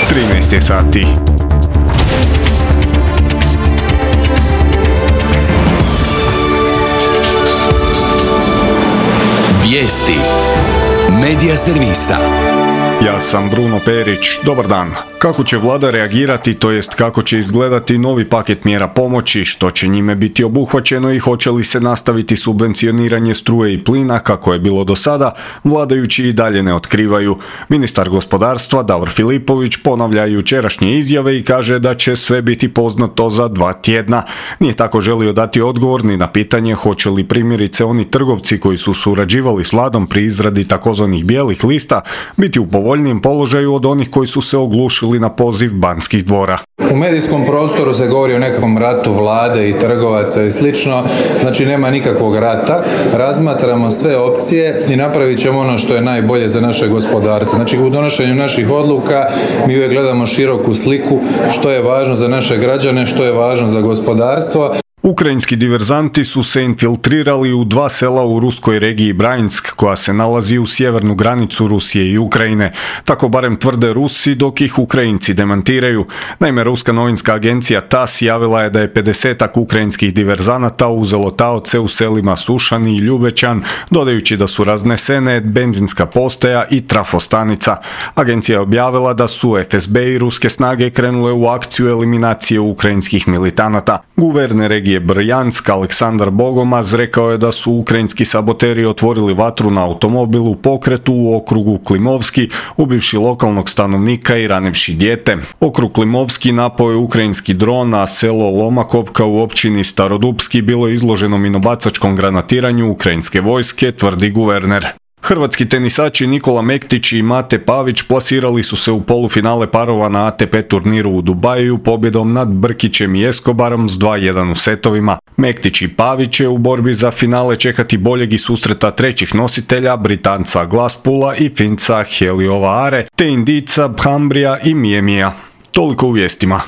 13 je sati. Vijesti Medija servisa. Ja sam Bruno Perić, dobar dan. Kako će vlada reagirati, to jest kako će izgledati novi paket mjera pomoći, što će njime biti obuhvaćeno i hoće li se nastaviti subvencioniranje struje i plina kako je bilo do sada, vladajući i dalje ne otkrivaju. Ministar gospodarstva Davor Filipović ponavlja jučerašnje izjave i kaže da će sve biti poznato za 2 tjedna. Nije tako želio dati odgovor ni na pitanje hoće li primjerice oni trgovci koji su surađivali s vladom pri izradi takozvanih bijelih lista biti u povoljnijem položaju od onih koji su se oglušili na poziv Banskih dvora. U medijskom prostoru se govori o nekakvom ratu vlade i trgovaca i slično, znači nema nikakvog rata, razmatramo sve opcije i napravit ćemo ono što je najbolje za naše gospodarstvo. Znači u donošenju naših odluka mi uvijek gledamo široku sliku, što je važno za naše građane, što je važno za gospodarstvo. Ukrajinski diverzanti su se infiltrirali u 2 sela u ruskoj regiji Bryansk, koja se nalazi u sjevernu granicu Rusije i Ukrajine. Tako barem tvrde Rusi, dok ih Ukrajinci demantiraju. Naime, ruska novinska agencija TASS javila je da je 50-ak ukrajinskih diverzanata uzelo taoce u selima Sušan i Ljubećan, dodajući da su raznesene benzinska postaja i trafostanica. Agencija je objavila da su FSB i ruske snage krenule u akciju eliminacije ukrajinskih militanata. Guverner regije Brjansk Aleksandar Bogomaz rekao je da su ukrajinski saboteri otvorili vatru na automobil u pokretu u okrugu Klimovski, ubivši lokalnog stanovnika i ranivši dijete. Okrug Klimovski napao je ukrajinski dron, a selo Lomakovka u općini Starodupski bilo je izloženo minobacačkom granatiranju ukrajinske vojske, tvrdi guverner. Hrvatski tenisači Nikola Mektić i Mate Pavić plasirali su se u polufinale parova na ATP turniru u Dubaju pobjedom nad Brkićem i Escobarom s 2:1 u setovima. Mektić i Pavić će u borbi za finale čekati boljeg i susreta trećih nositelja, Britanca Glaspula i Finca Heliova Are, te Indica Bhambrija i Miemija. Toliko u vijestima.